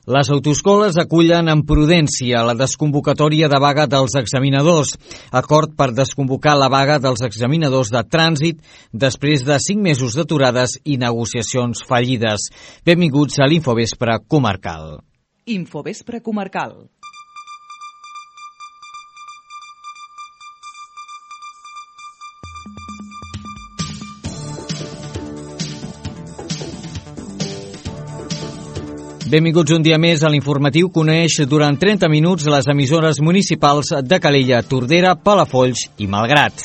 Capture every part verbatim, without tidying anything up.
Les autoescoles acullen amb prudència la desconvocatòria de vaga dels examinadors. Acord per desconvocar la vaga dels examinadors de trànsit després de cinc mesos d'aturades i negociacions fallides. Benvinguts a l'Infovespre Comarcal. Infovespre Comarcal. Benvinguts un dia més a l'informatiu que uneix durant trenta minuts les emissores municipals de Calella, Tordera, Palafolls i Malgrat.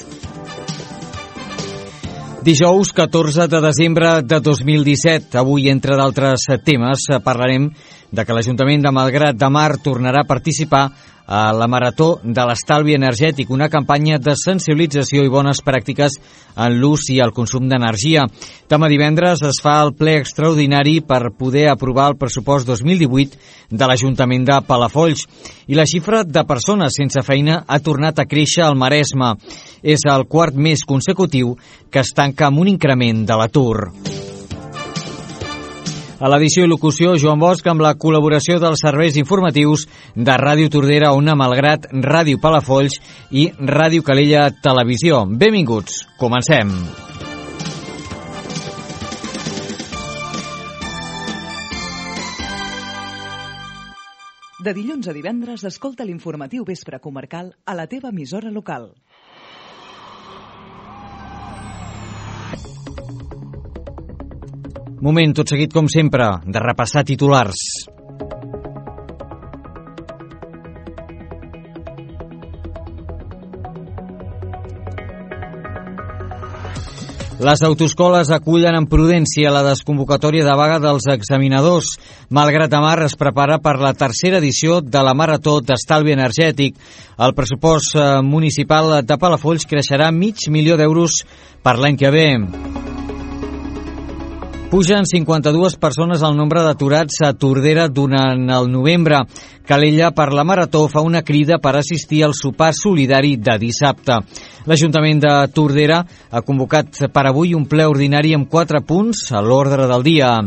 Dijous catorze de desembre de dos mil disset. Avui, entre d'altres temes, parlarem de que l'Ajuntament de Malgrat de Mar tornarà a participar a la Marató de l'Estalvi Energètic, una campanya de sensibilització i bones pràctiques en l'ús i el consum d'energia. Demà divendres es fa el ple extraordinari per poder aprovar el pressupost dos mil divuit de l'Ajuntament de Palafolls. I la xifra de persones sense feina ha tornat a créixer al Maresme. És el quart mes consecutiu que es tanca amb un increment de l'atur. A l'edició i locució, Joan Bosch, amb la col·laboració dels serveis informatius de Ràdio Tordera, Ona Malgrat, Ràdio Palafolls i Ràdio Calella Televisió. Benvinguts, comencem. De dilluns a divendres, escolta l'informatiu Vespre Comarcal a la teva emissora local. Moment, tot seguit com sempre, de repassar titulars. Les autoescoles acullen amb prudència la desconvocatòria de vaga dels examinadors. Malgrat de Mar es prepara per la tercera edició de la Marató d'Estalvi Energètic. El pressupost municipal de Palafolls creixerà mig milió d'euros per l'any que ve. Pugen cinquanta-dues persones al nombre d'aturats a Tordera durant el novembre. Calella, per la Marató, fa una crida per assistir al sopar solidari de dissabte. L'Ajuntament de Tordera ha convocat per avui un ple ordinari amb quatre punts a l'ordre del dia.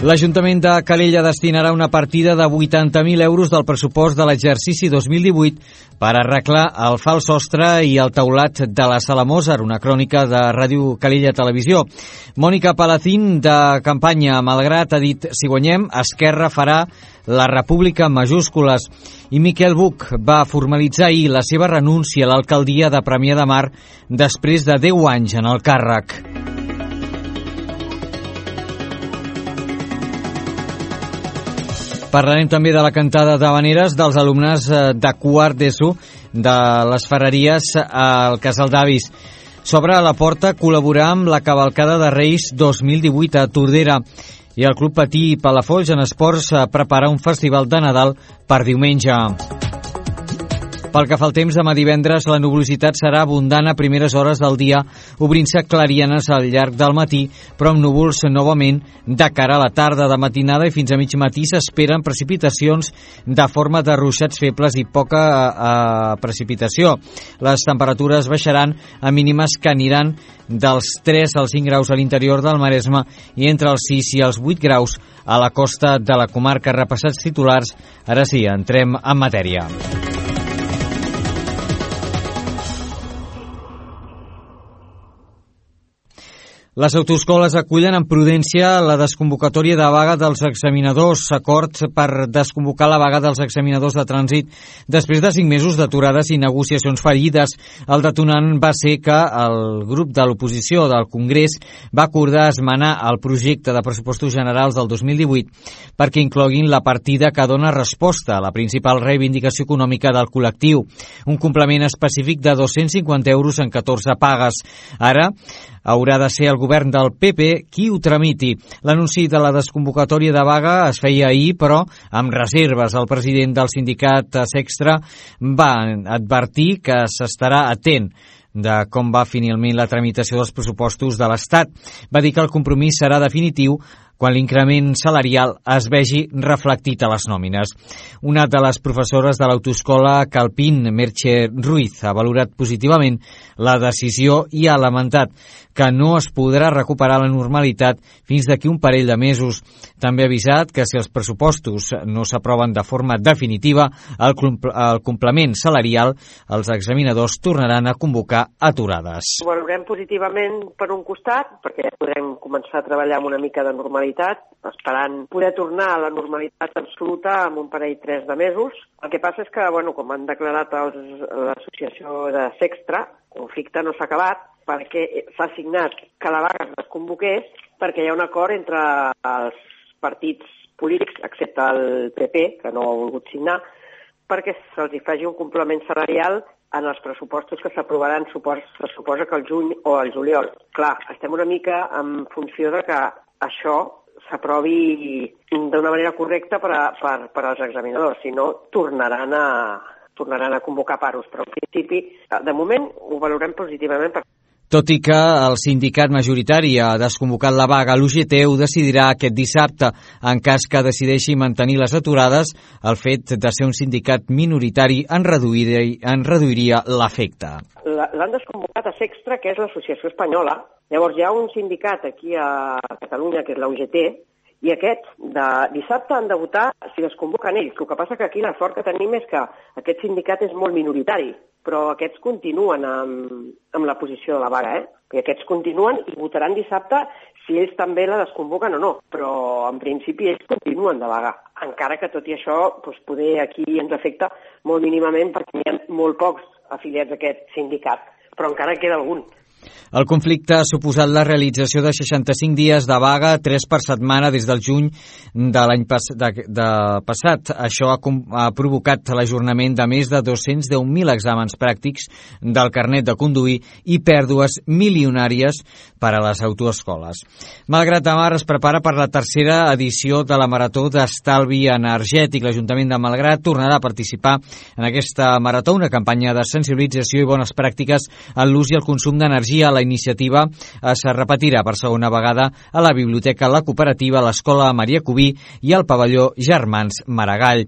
L'Ajuntament de Calella destinarà una partida de vuitanta mil euros del pressupost de l'exercici dos mil divuit per arreglar el fals sostre i el teulat de la Sala Mozart, una crònica de Ràdio Calella Televisió. Mònica Palacín, de campanya a Malgrat, ha dit: si guanyem, Esquerra farà la República en majúscules. I Miquel Buch va formalitzar ahir la seva renúncia a l'alcaldia de Premià de Mar després de deu anys en el càrrec. Parlarem també de la cantada d'havaneres dels alumnes de quart d'ESO de les Ferreries al Casal d'Avis. S'obre a la porta col·laborar amb la cavalcada de Reis dos mil divuit a Tordera. I el Club Patí Palafolls en esports prepara un festival de Nadal per diumenge. Pel que fa al temps, demà divendres la nuvolositat serà abundant a primeres hores del dia, obrint-se clarianes al llarg del matí, però amb núvols novament de cara a la tarda. De matinada i fins a mig matí s'esperen precipitacions de forma de ruixats febles i poca eh, precipitació. Les temperatures baixaran a mínimes que aniran dels tres als cinc graus a l'interior del Maresme i entre els sis i els vuit graus a la costa de la comarca. Repassats titulars, ara sí, entrem en matèria. Les autoescoles acullen amb prudència la desconvocatòria de vaga dels examinadors. Acord per desconvocar la vaga dels examinadors de trànsit després de cinc mesos d'aturades i negociacions fallides. El detonant va ser que el grup de l'oposició del Congrés va acordar esmenar el projecte de pressupostos generals del dos mil divuit perquè incloguin la partida que dona resposta a la principal reivindicació econòmica del col·lectiu, un complement específic de dos-cents cinquanta euros en catorze pagues. Ara haurà de ser el govern del P P qui ho tramiti. L'anunci de la desconvocatòria de vaga es feia ahir, però amb reserves. El president del sindicat Sextra va advertir que s'estarà atent de com va finalment la tramitació dels pressupostos de l'Estat. Va dir que el compromís serà definitiu quan l'increment salarial es vegi reflectit a les nòmines. Una de les professores de l'autoescola Calpín, Merche Ruiz, ha valorat positivament la decisió i ha lamentat que no es podrà recuperar la normalitat fins d'aquí un parell de mesos. També ha avisat que si els pressupostos no s'aproven de forma definitiva, el, el complement salarial, els examinadors tornaran a convocar aturades. Ho valorem positivament per un costat, perquè ja podrem començar a treballar amb una mica de normalitat, esperant poder tornar a la normalitat absoluta en un parell tres de mesos. El que passa és que, bueno, com han declarat l'associació de Sextra, el conflicte no s'ha acabat, perquè s'ha signat que la vaga es desconvoqués, perquè hi ha un acord entre els partits polítics, excepte el P P, que no ha volgut signar, perquè se'ls hi faci un complement salarial en els pressupostos que s'aprovaran, se suposa que el juny o el juliol. Clar, estem una mica en funció de que això s'aprovi d'una manera correcta per, a, per, per als examinadors, si no tornaran a, tornaran a convocar paros, però en principi, de moment, ho valorem positivament. Per... Tot i que el sindicat majoritari ha desconvocat la vaga, l'U G T ho decidirà aquest dissabte. En cas que decideixi mantenir les aturades, el fet de ser un sindicat minoritari en reduiria, en reduiria l'efecte. L'han desconvocat a Sextra, que és l'associació espanyola. Llavors hi ha un sindicat aquí a Catalunya, que és la U G T, i aquests de dissabte han de votar si desconvoquen ells. El que passa que aquí la sort que tenim és que aquest sindicat és molt minoritari, però aquests continuen amb, amb la posició de la vaga, eh? I aquests continuen i votaran dissabte si ells també la desconvoquen o no, però en principi ells continuen de vaga, encara que tot i això doncs, poder aquí ens afecta molt mínimament perquè hi ha molt pocs afiliats a aquest sindicat, però encara queda algun. El conflicte ha suposat la realització de seixanta-cinc dies de vaga, tres per setmana des del juny de l'any pas, de, de passat. Això ha, ha provocat l'ajornament de més de dos-cents deu mil exàmens pràctics del carnet de conduir i pèrdues milionàries per a les autoescoles. Malgrat de Mar es prepara per la tercera edició de la Marató d'Estalvi Energètic. L'Ajuntament de Malgrat tornarà a participar en aquesta marató, una campanya de sensibilització i bones pràctiques en l'ús i el consum d'energia. La iniciativa es repetirà per segona vegada a la Biblioteca La Cooperativa, l'Escola Maria Cubí i al pavelló Germans Maragall.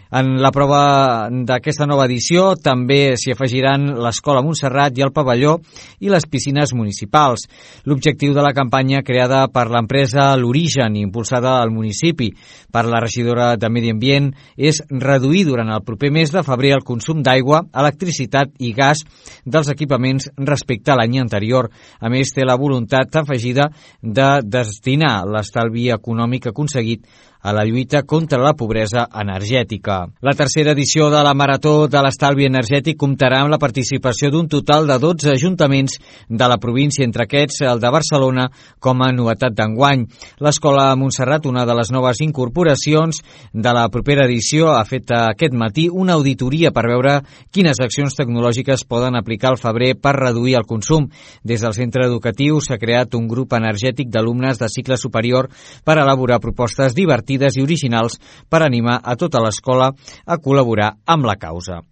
En la prova d'aquesta nova edició també s'hi afegiran l'Escola Montserrat i el pavelló i les piscines municipals. L'objectiu de la campanya creada per l'empresa L'Origen, impulsada al municipi per la regidora de Medi Ambient, és reduir durant el proper mes de febrer el consum d'aigua, electricitat i gas dels equipaments respecte a l'any anterior. A més, té la voluntat afegida de destinar l'estalvi econòmic aconseguit a la lluita contra la pobresa energètica. La tercera edició de la Marató de l'Estalvi Energètic comptarà amb la participació d'un total de dotze ajuntaments de la província, entre aquests el de Barcelona com a novetat d'enguany. L'Escola Montserrat, una de les noves incorporacions de la propera edició, ha fet aquest matí una auditoria per veure quines accions tecnològiques poden aplicar al febrer per reduir el consum. Des del centre educatiu s'ha creat un grup energètic d'alumnes de cicle superior per elaborar propostes divertides i originals per animar a tota l'escola a col·laborar amb la causa.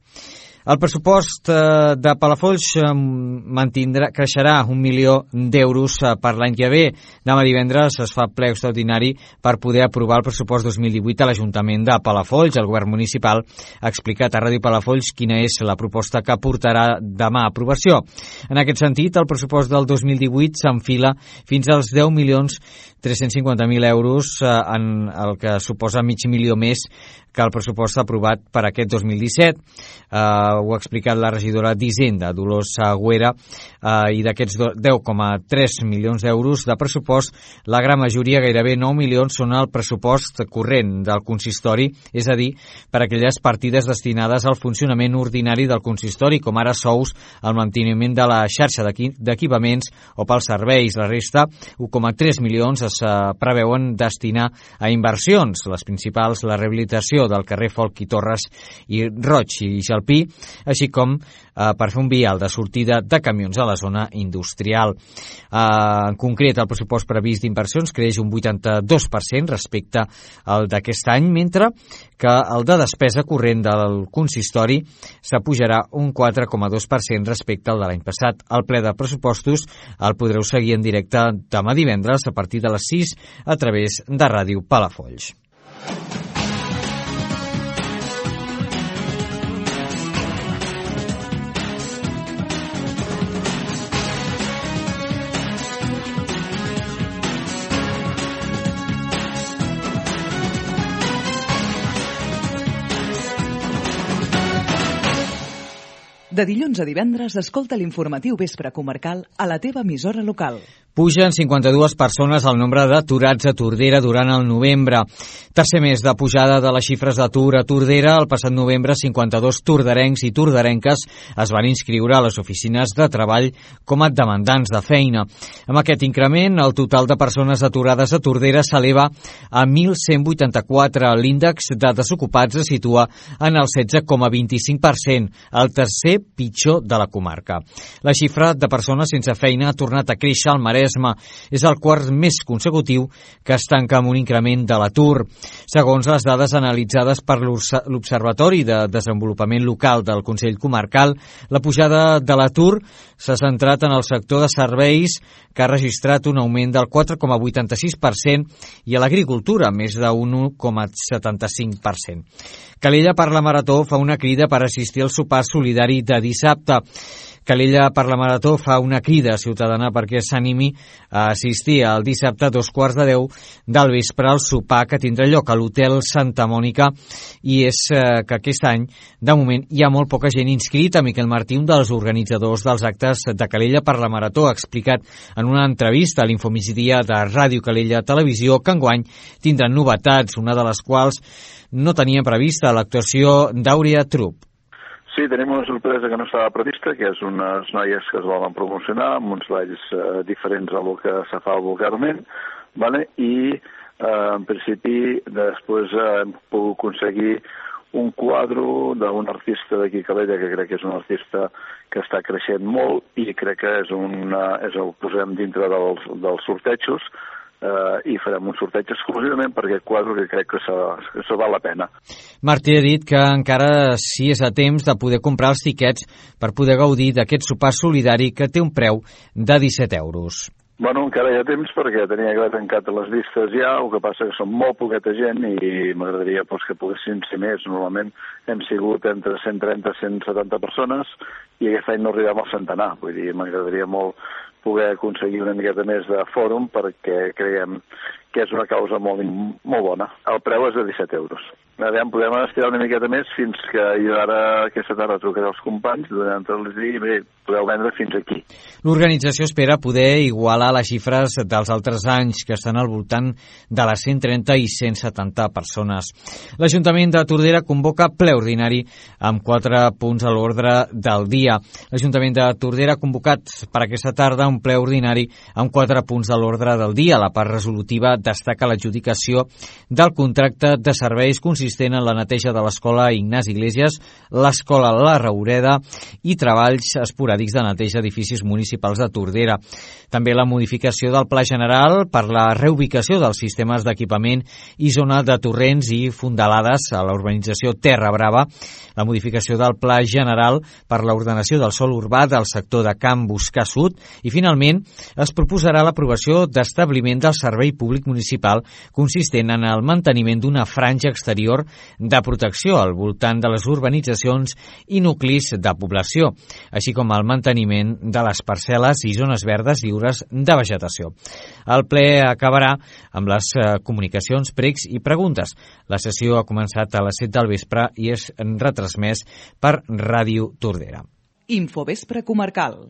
El pressupost de Palafolls mantindrà, creixerà un milió d'euros per l'any que ve. Demà divendres es fa ple extraordinari per poder aprovar el pressupost dos mil divuit a l'Ajuntament de Palafolls. El govern municipal ha explicat a Ràdio Palafolls quina és la proposta que portarà demà a aprovació. En aquest sentit, el pressupost del dos mil divuit s'enfila fins als deu milions tres-cents cinquanta mil euros, en el que suposa mig milió més que el pressupost aprovat per aquest dos mil disset. Uh, ho ha explicat la regidora d'Hisenda, Dolors Agüera, uh, i d'aquests deu coma tres milions d'euros de pressupost, la gran majoria, gairebé nou milions, són el pressupost corrent del consistori, és a dir, per aquelles partides destinades al funcionament ordinari del consistori, com ara sous, el manteniment de la xarxa d'equipaments o pels serveis. La resta, un coma tres milions, es preveuen destinar a inversions, les principals, la rehabilitació del carrer Folch i Torres i Roig i Jalpí, així com eh, per fer un vial de sortida de camions a la zona industrial. Eh, en concret, el pressupost previst d'inversions creix un vuitanta-dos per cent respecte al d'aquest any, mentre que el de despesa corrent del consistori s'apujarà un quatre coma dos per cent respecte al de l'any passat. El ple de pressupostos el podreu seguir en directe demà divendres a partir de les sis a través de Ràdio Palafolls. De dilluns a divendres, escolta l'informatiu Vespre Comarcal a la teva emissora local. Pugen cinquanta-dues persones el nombre d'aturats a Tordera durant el novembre. Tercer mes de pujada de les xifres d'atur a Tordera. El passat novembre, cinquanta-dos torderencs i torderenques es van inscriure a les oficines de treball com a demandants de feina. Amb aquest increment, el total de persones aturades a Tordera s'eleva a mil cent vuitanta-quatre. L'índex de desocupats es situa en el setze coma vint-i-cinc per cent, el tercer pitjor de la comarca. La xifra de persones sense feina ha tornat a créixer al Maresme. És el quart mes consecutiu que es tanca amb un increment de l'atur. Segons les dades analitzades per l'Observatori de Desenvolupament Local del Consell Comarcal, la pujada de l'atur s'ha centrat en el sector de serveis, que ha registrat un augment del quatre coma vuitanta-sis per cent, i a l'agricultura, més d'un u coma setanta-cinc per cent. Calella per la Marató fa una crida per assistir al sopar solidari de dissabte. Calella per la Marató fa una crida ciutadana perquè s'animi a assistir el dissabte a dos quarts de deu del vespre al sopar que tindrà lloc a l'Hotel Santa Mònica, i és eh, que aquest any, de moment, hi ha molt poca gent inscrita. Miquel Martí, un dels organitzadors dels actes de Calella per la Marató, ha explicat en una entrevista a l'Infomigdia de Ràdio Calella Televisió que enguany tindran novetats, una de les quals no tenia prevista, l'actuació d'Àurea Trup. Sí, tenim una sorpresa que no estava prevista, que és unes noies que es volen promocionar amb uns balls eh, diferents a lo que se fa vulgarment, vale? I eh, en principi després eh, hem pogut aconseguir un quadre d'un artista d'aquí a Calella, que crec que és un artista que està creixent molt i crec que és una, és el posem dintre dels, dels sortejos, Uh, i farem un sorteig exclusivament per aquest quadre que crec que això val la pena. Martí ha dit que encara sí és a temps de poder comprar els tiquets per poder gaudir d'aquest sopar solidari que té un preu de disset euros. Bueno, encara hi ha temps perquè tenia que haver tancat les llistes ja, el que passa que són molt poqueta gent i m'agradaria pues, que poguessin ser més. Normalment hem sigut entre cent trenta i cent setanta persones i aquest any no arribem al centenar, vull dir, m'agradaria molt poder aconseguir una miqueta més de fòrum perquè creiem que és una causa molt, molt bona. El preu és de disset euros. Aviam, podem estirar una miqueta més fins que jo ara aquesta tarda trucaré als companys, donant-los dir, bé, podeu vendre fins aquí. L'organització espera poder igualar les xifres dels altres anys, que estan al voltant de les cent trenta i cent setanta persones. L'Ajuntament de Tordera convoca ple ordinari amb quatre punts a l'ordre del dia. L'Ajuntament de Tordera ha convocat per aquesta tarda un ple ordinari amb quatre punts de l'ordre del dia. La part resolutiva destaca l'adjudicació del contracte de serveis consistent en la neteja de l'escola Ignasi Iglesias, l'escola La Raureda i treballs esporàdics de neteja d'edificis municipals de Tordera. També la modificació del Pla General per la reubicació dels sistemes d'equipament i zona de torrents i fondalades a la urbanització Terra Brava, la modificació del Pla General per l'ordenació del sòl urbà del sector de Can Buscar Sud i, finalment, es proposarà l'aprovació d'establiment del servei públic municipal consistent en el manteniment d'una franja exterior de protecció al voltant de les urbanitzacions i nuclis de població, així com el manteniment de les parcel·les i zones verdes lliures de vegetació. El ple acabarà amb les comunicacions, pregs i preguntes. La sessió ha començat a les set del vespre i és retransmès per Ràdio Tordera. Infovespre Comarcal.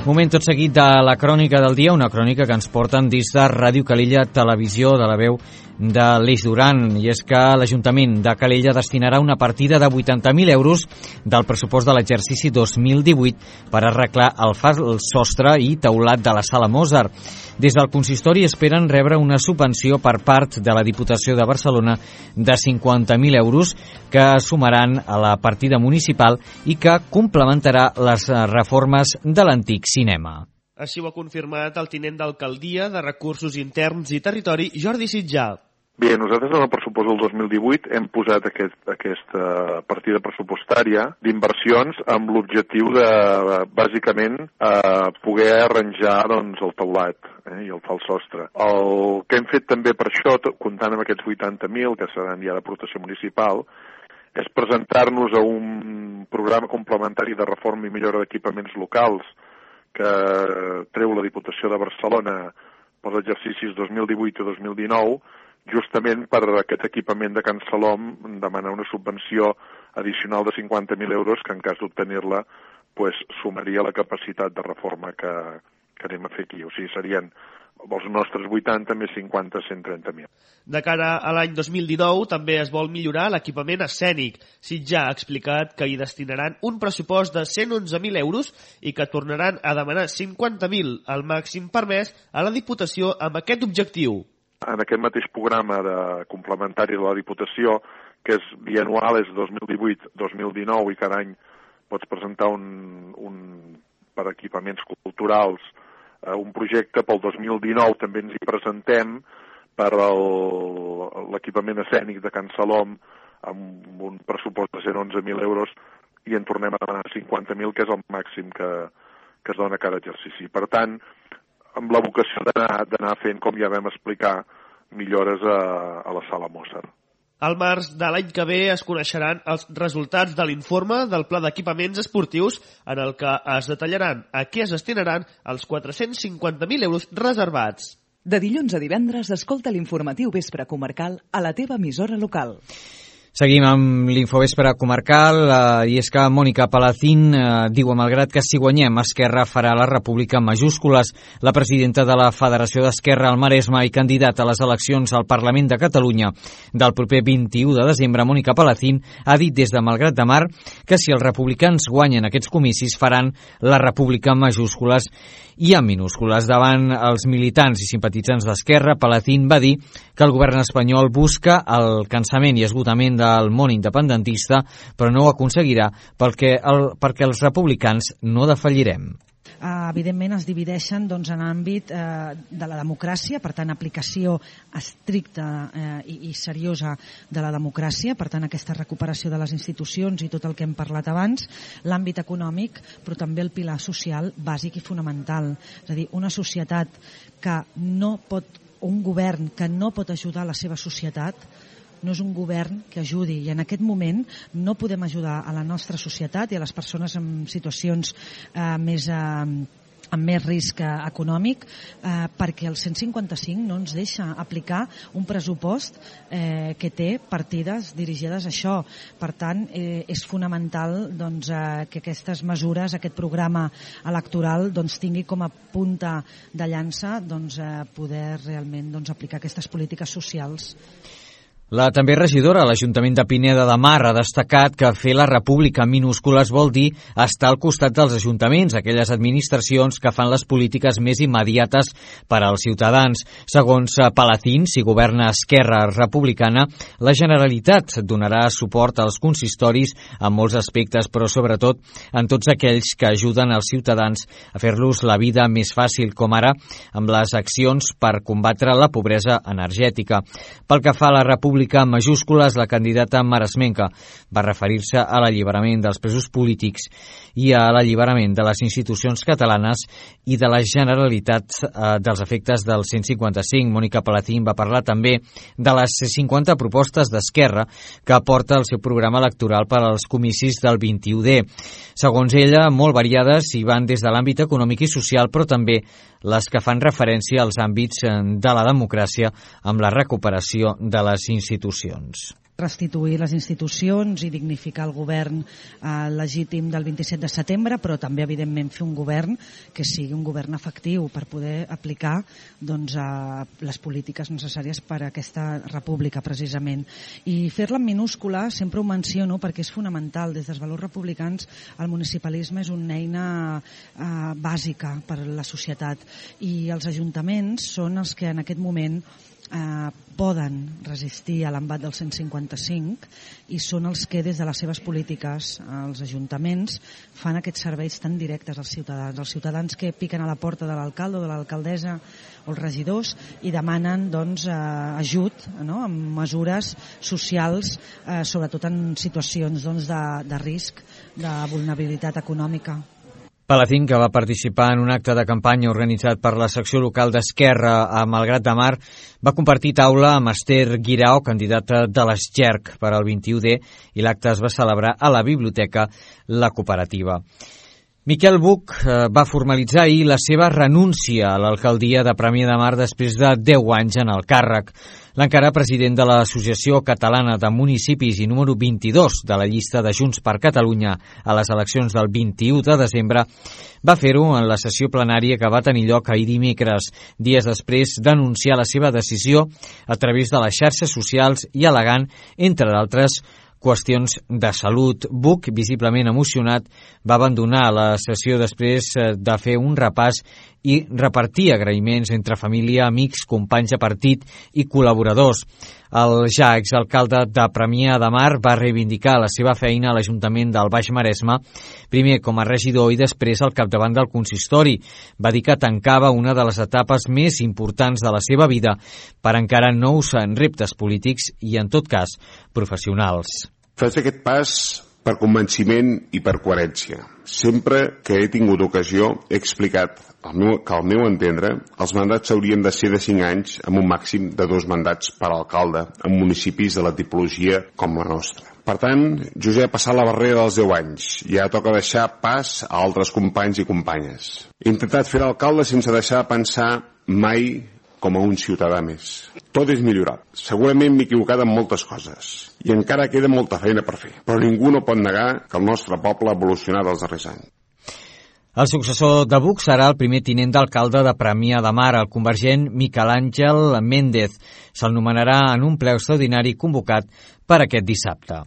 Moment tot seguit de la crònica del dia, una crònica que ens porten dins de Ràdio Calella Televisió, de la veu de l'Eix Duran, i és que l'Ajuntament de Calella destinarà una partida de vuitanta mil euros del pressupost de l'exercici dos mil divuit per arreglar el fals sostre i teulat de la Sala Mozart. Des del consistori esperen rebre una subvenció per part de la Diputació de Barcelona de cinquanta mil euros que sumaran a la partida municipal i que complementarà les reformes de l'antic cinema. Així ho ha confirmat el tinent d'alcaldia de Recursos Interns i Territori, Jordi Sitjà. Bé, nosaltres en el pressupost del dos mil divuit hem posat aquest, aquesta partida pressupostària d'inversions amb l'objectiu de, bàsicament, eh, poder arranjar doncs, el teulat eh, i el fals sostre. El que hem fet també per això, comptant amb aquests vuitanta mil, que seran ja de protecció municipal, és presentar-nos a un programa complementari de reforma i millora d'equipaments locals que treu la Diputació de Barcelona pels exercicis dos mil divuit i dos mil dinou, justament per aquest equipament de Can Salom demanar una subvenció addicional de cinquanta mil euros que en cas d'obtenir-la pues, sumaria la capacitat de reforma que, que anem a fer aquí. O sigui, serien els nostres vuitanta més cinquanta, cent trenta mil. De cara a l'any dos mil dinou també es vol millorar l'equipament escènic. Sitjà ha explicat que hi destinaran un pressupost de cent onze mil euros i que tornaran a demanar cinquanta mil, el màxim permès, a la Diputació amb aquest objectiu. En aquest mateix programa de complementari de la Diputació, que és bianual, és dos mil divuit dos mil dinou, i cada any pots presentar un, un per equipaments culturals, eh, un projecte pel dos mil dinou també ens hi presentem per l'equipament escènic de Can Salom amb un pressupost de cent onze mil euros i en tornem a demanar cinquanta mil, que és el màxim que, que es dona cada exercici. Per tant, amb la vocació d'anar fent, com ja vam explicar, millores a, a la Sala Mozart. Al març de l'any que ve es coneixeran els resultats de l'informe del Pla d'Equipaments Esportius en el que es detallaran a què es destinaran els quatre-cents cinquanta mil euros reservats. De dilluns a divendres, escolta l'informatiu Vespre Comarcal a la teva emissora local. Seguim amb l'Infovespre Comarcal eh, i és que Mònica Palacín eh, diu, malgrat que si guanyem, Esquerra farà la República en majúscules. La presidenta de la Federació d'Esquerra al Maresme i candidata a les eleccions al Parlament de Catalunya del proper vint-i-u de desembre, Mònica Palacín, ha dit des de Malgrat de Mar que si els republicans guanyen aquests comicis faran la República en majúscules i en minúscules. Davant els militants i simpatitzants d'Esquerra, Palacín va dir que el govern espanyol busca el cansament i esgotament del món independentista, però no ho aconseguirà perquè, el, perquè els republicans no defallirem. Uh, evidentment es divideixen doncs, en àmbit uh, de la democràcia, per tant aplicació estricta uh, i, i seriosa de la democràcia, per tant aquesta recuperació de les institucions i tot el que hem parlat abans, l'àmbit econòmic, però també el pilar social bàsic i fonamental, és a dir, una societat que no pot, un govern que no pot ajudar la seva societat no és un govern que ajudi, i en aquest moment no podem ajudar a la nostra societat i a les persones en situacions eh, més, eh, amb més risc econòmic eh, perquè el cent cinquanta cinc no ens deixa aplicar un pressupost eh, que té partides dirigides a això. Per tant, eh, és fonamental doncs, eh, que aquestes mesures, aquest programa electoral doncs, tingui com a punta de llança doncs, eh, poder realment doncs, aplicar aquestes polítiques socials. La també regidora a l'Ajuntament de Pineda de Mar ha destacat que fer la república en minúscules vol dir estar al costat dels ajuntaments, aquelles administracions que fan les polítiques més immediates per als ciutadans. Segons Palacín, si governa Esquerra Republicana, la Generalitat donarà suport als consistoris en molts aspectes, però sobretot en tots aquells que ajuden als ciutadans a fer-los la vida més fàcil, com ara amb les accions per combatre la pobresa energètica. Pel que fa a la república en majúscules, la candidata maresmenca va referir-se a l'alliberament dels presos polítics i a l'alliberament de les institucions catalanes i de la Generalitat eh, dels efectes del cent cinquanta cinc. Mònica Palacín va parlar també de les cinquanta propostes d'Esquerra que aporta el seu programa electoral per als comicis del vint-i-u de. Segons ella, molt variades i van des de l'àmbit econòmic i social, però també les que fan referència als àmbits de la democràcia amb la recuperació de les institucions. restituir les institucions i dignificar el govern eh, legítim del vint-i-set de setembre, però també, evidentment, fer un govern que sigui un govern efectiu per poder aplicar doncs, eh, les polítiques necessàries per a aquesta república, precisament. I fer-la en minúscula sempre ho menciono perquè és fonamental. Des dels valors republicans el municipalisme és una eina eh, bàsica per a la societat i els ajuntaments són els que en aquest moment eh, poden resistir a l'embat del cent cinquanta cinc i són els que des de les seves polítiques els ajuntaments fan aquests serveis tan directes als ciutadans, els ciutadans que piquen a la porta de l'alcalde o de l'alcaldessa o els regidors i demanen doncs, eh, ajut, no?, amb mesures socials, eh, sobretot en situacions doncs, de, de risc, de vulnerabilitat econòmica. Palacín, que va participar en un acte de campanya organitzat per la secció local d'Esquerra a Malgrat de Mar, va compartir taula amb Esther Guirao, candidata de l'Esgerc per al vint-i-u D, i l'acte es va celebrar a la Biblioteca La Cooperativa. Miquel Buch va formalitzar ahir la seva renúncia a l'alcaldia de Premià de Mar després de deu anys en el càrrec. L'encara president de l'Associació Catalana de Municipis i número vint-i-dos de la llista de Junts per Catalunya a les eleccions del vint-i-u de desembre va fer-ho en la sessió plenària que va tenir lloc ahir dimecres, dies després d'anunciar la seva decisió a través de les xarxes socials i al·legant, entre d'altres, qüestions de salut. Buch, visiblement emocionat, va abandonar la sessió després de fer un repàs i repartir agraïments entre família, amics, companys de partit i col·laboradors. El ja exalcalde de Premià de Mar va reivindicar la seva feina a l'Ajuntament del Baix Maresme, primer com a regidor i després al capdavant del consistori. Va dir que tancava una de les etapes més importants de la seva vida per encarar nous reptes polítics i, en tot cas, professionals. Faig aquest pas per convenciment i per coherència. Sempre que he tingut ocasió he explicat el meu, que al meu entendre els mandats haurien de ser de cinc anys amb un màxim de dos mandats per alcalde en municipis de la tipologia com la nostra. Per tant, jo ja he passat la barrera dels deu anys i ja toca deixar pas a altres companys i companyes. He intentat fer l'alcalde sense deixar de pensar mai com a un ciutadà més. Tot és millorable. Segurament m'he equivocat en moltes coses i encara queda molta feina per fer, però ningú no pot negar que el nostre poble ha evolucionat els darrers anys. El successor de Buch serà el primer tinent d'alcalde de Premià de Mar, el convergent Miquel Àngel Méndez. Se'l nomenarà en un ple extraordinari convocat per aquest dissabte.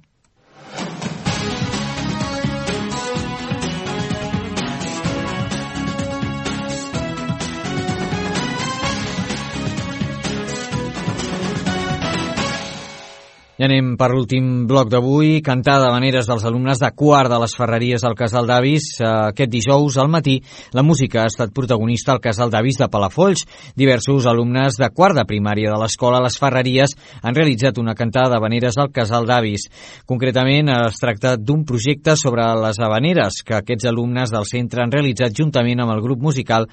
I anem per l'últim bloc d'avui. Cantada d'havaneres dels alumnes de quart de les Ferreries al Casal d'Avis. Aquest dijous al matí la música ha estat protagonista al Casal d'Avis de Palafolls. Diversos alumnes de quart de primària de l'escola Les Ferreries han realitzat una cantada d'havaneres al Casal d'Avis. Concretament es tracta d'un projecte sobre les havaneres que aquests alumnes del centre han realitzat juntament amb el grup musical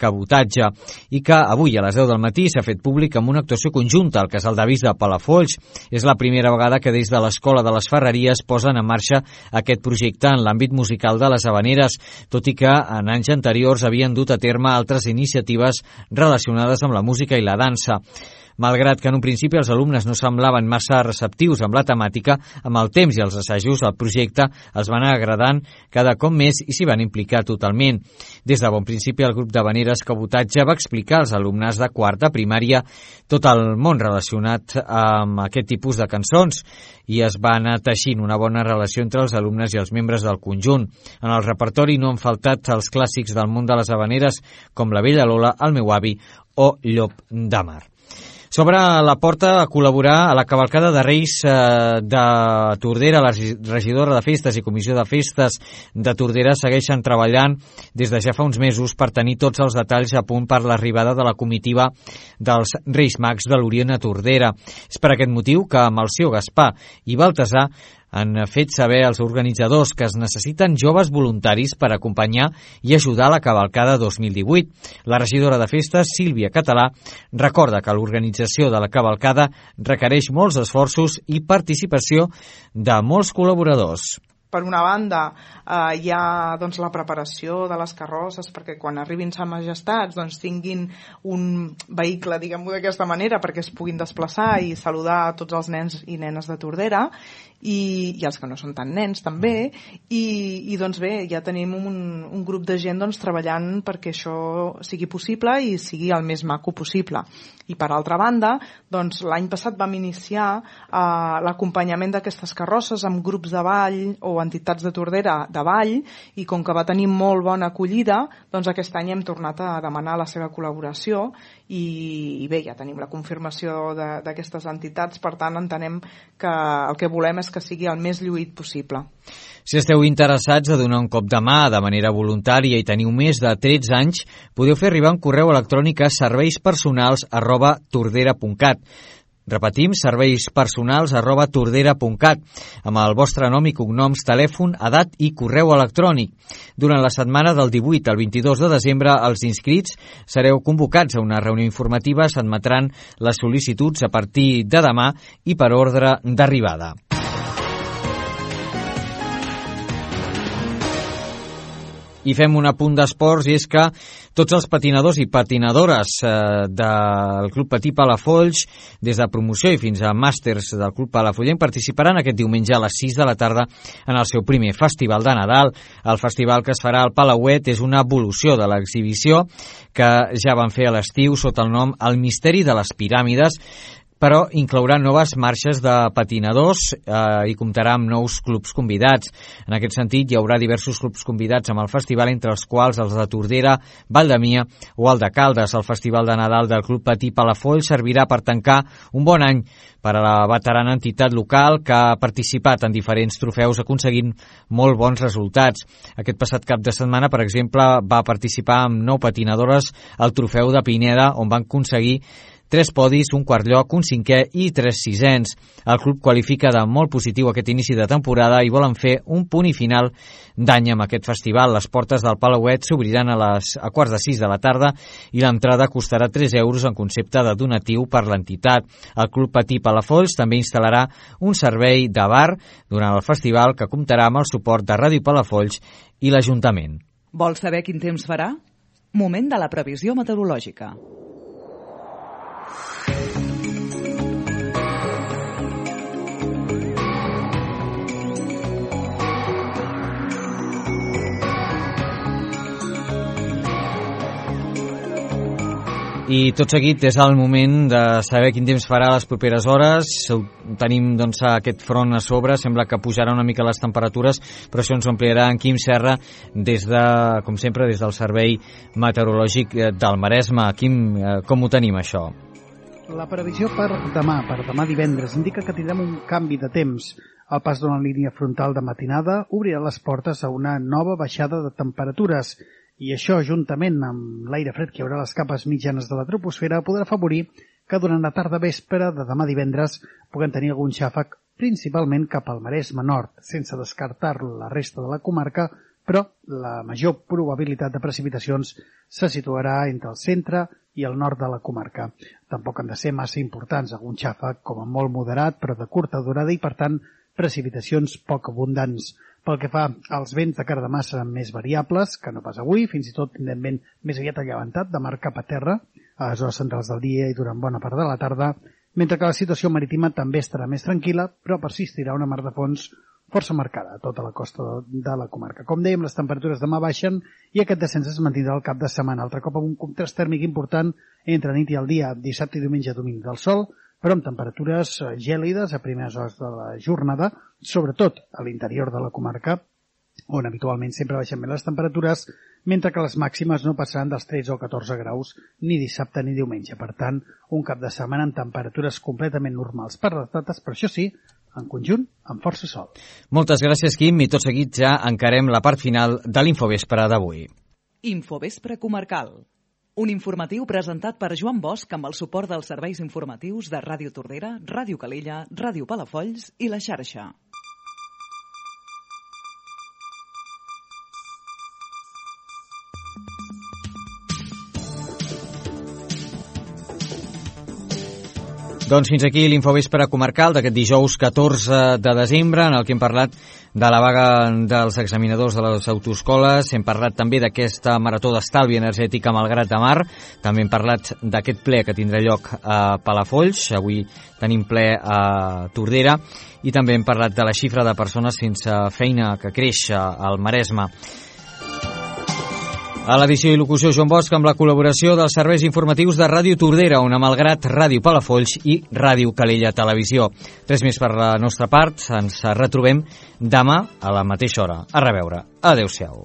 Cabotatge i que avui a les deu del matí s'ha fet públic amb una actuació conjunta al Casal d'Avis de Palafolls. És la primera vegada que des de l'Escola de les Ferreries posen en marxa aquest projecte en l'àmbit musical de les havaneres, tot i que en anys anteriors havien dut a terme altres iniciatives relacionades amb la música i la dansa. Malgrat que en un principi els alumnes no semblaven massa receptius amb la temàtica, amb el temps i els assajos el projecte els va anar agradant cada cop més i s'hi van implicar totalment. Des de bon principi el grup d'havaneres Cabotatge va explicar als alumnes de quart de primària tot el món relacionat amb aquest tipus de cançons i es va anar teixint una bona relació entre els alumnes i els membres del conjunt. En el repertori no han faltat els clàssics del món de les havaneres com La Vella Lola, El meu avi o Llop de Mar. S'obre la porta a col·laborar a la cavalcada de Reis de Tordera. La regidora de Festes i Comissió de Festes de Tordera segueixen treballant des de ja fa uns mesos per tenir tots els detalls a punt per l'arribada de la comitiva dels Reis Mags de l'Orient a Tordera. És per aquest motiu que Melcior Gaspar i Baltasar han fet saber als organitzadors que es necessiten joves voluntaris per acompanyar i ajudar a la cavalcada dos mil divuit. La regidora de Festes, Sílvia Català, recorda que l'organització de la cavalcada requereix molts esforços i participació de molts col·laboradors. per una banda, eh, hi ha doncs, la preparació de les carrosses perquè quan arribin Sa Majestats doncs, tinguin un vehicle, diguem-ho d'aquesta manera, perquè es puguin desplaçar i saludar a tots els nens i nenes de Tordera, i, i els que no són tan nens també, i, i doncs bé, ja tenim un, un grup de gent doncs, treballant perquè això sigui possible i sigui el més maco possible. I per altra banda, doncs, l'any passat vam iniciar eh, l'acompanyament d'aquestes carrosses amb grups de ball o entitats de Tordera de ball, i com que va tenir molt bona acollida, doncs aquest any hem tornat a demanar la seva col·laboració i, i bé, ja tenim la confirmació d'aquestes entitats, per tant entenem que el que volem és que sigui el més lluït possible. Si esteu interessats a donar un cop de mà de manera voluntària i teniu més de tretze anys, podeu fer arribar un correu electrònic a serveispersonals arroba tordera punt cat. Repetim, serveispersonals arroba tordera punt cat, amb el vostre nom i cognoms, telèfon, edat i correu electrònic. Durant la setmana del divuit al vint-i-dos de desembre, els inscrits sereu convocats a una reunió informativa, s'admetran les sol·licituds a partir de demà i per ordre d'arribada. I fem un apunt d'esports, i és que tots els patinadors i patinadores eh, del Club Patí Palafolls, des de promoció i fins a màsters del Club Palafollenc, participaran aquest diumenge a les sis de la tarda en el seu primer festival de Nadal. El festival que es farà al Palauet és una evolució de l'exhibició que ja van fer a l'estiu sota el nom El misteri de les piràmides, però inclourà noves marxes de patinadors eh, i comptarà amb nous clubs convidats. En aquest sentit, hi haurà diversos clubs convidats amb el festival, entre els quals els de Tordera, Val de Mia o el de Caldes. El Festival de Nadal del Club Patí Palafolls servirà per tancar un bon any per a la veterana entitat local que ha participat en diferents trofeus aconseguint molt bons resultats. Aquest passat cap de setmana, per exemple, va participar amb nou patinadores al trofeu de Pineda, on van aconseguir tres podis, un quart lloc, un cinquè i tres sisens. El club qualifica de molt positiu aquest inici de temporada i volen fer un punt i final d'any amb aquest festival. Les portes del Palauet s'obriran a les a quarts de sis de la tarda i l'entrada costarà tres euros en concepte de donatiu per l'entitat. El Club Patí Palafolls també instal·larà un servei de bar durant el festival que comptarà amb el suport de Ràdio Palafolls i l'Ajuntament. Vols saber quin temps farà? Moment de la previsió meteorològica. I tot seguit és el moment de saber quin temps farà les properes hores. Tenim doncs, aquest front a sobre, sembla que pujarà una mica les temperatures, però això ens ho ampliarà en Quim Serra, des de, com sempre, des del Servei Meteorològic del Maresme. Quim, com ho tenim, això? La previsió per demà, per demà divendres, indica que tindrem un canvi de temps. El pas d'una línia frontal de matinada obrirà les portes a una nova baixada de temperatures, i això, juntament amb l'aire fred que hi haurà a les capes mitjanes de la troposfera, podrà afavorir que durant la tarda vespre de demà divendres puguem tenir algun xàfec, principalment cap al Maresme nord, sense descartar la resta de la comarca, però la major probabilitat de precipitacions se situarà entre el centre i el nord de la comarca. Tampoc han de ser massa importants, algun xàfec com a molt moderat, però de curta durada i, per tant, precipitacions poc abundants. Pel que fa als vents de cara demà seran més variables que no pas avui, fins i tot tindrem vent més aviat allevantat de mar cap a terra a les hores centrals del dia i durant bona part de la tarda, mentre que la situació marítima també estarà més tranquil·la, però persistirà una mar de fons força marcada a tota la costa de la comarca. Com dèiem, les temperatures demà baixen i aquest descens es mantindrà al cap de setmana, altre cop amb un contrast tèrmic important entre nit i el dia, dissabte i diumenge domini del sol, però amb temperatures gèlides a primeres hores de la jornada, sobretot a l'interior de la comarca, on habitualment sempre baixen més les temperatures, mentre que les màximes no passaran dels tretze o catorze graus ni dissabte ni diumenge. Per tant, un cap de setmana amb temperatures completament normals per les dates, però això sí, en conjunt, amb força sol. Moltes gràcies, Quim, i tot seguit ja encarem la part final de l'Infovespre d'avui. Infovespre comarcal. Un informatiu presentat per Joan Bosch amb el suport dels serveis informatius de Ràdio Tordera, Ràdio Calella, Ràdio Palafolls i La Xarxa. Doncs fins aquí l'Infovespre comarcal d'aquest dijous catorze de desembre, en el que hem parlat de la vaga dels examinadors de les autoescoles, hem parlat també d'aquesta marató d'estalvi energètic a Malgrat de Mar, també hem parlat d'aquest ple que tindrà lloc a Palafolls, avui tenim ple a Tordera, i també hem parlat de la xifra de persones sense feina que creix al Maresme. A l'edició i locució Joan Bosch, amb la col·laboració dels serveis informatius de Ràdio Tordera, Ona Malgrat, Ràdio Palafolls i Ràdio Calella Televisió. Res més per la nostra part, ens retrobem demà a la mateixa hora. A reveure. Adéu-siau.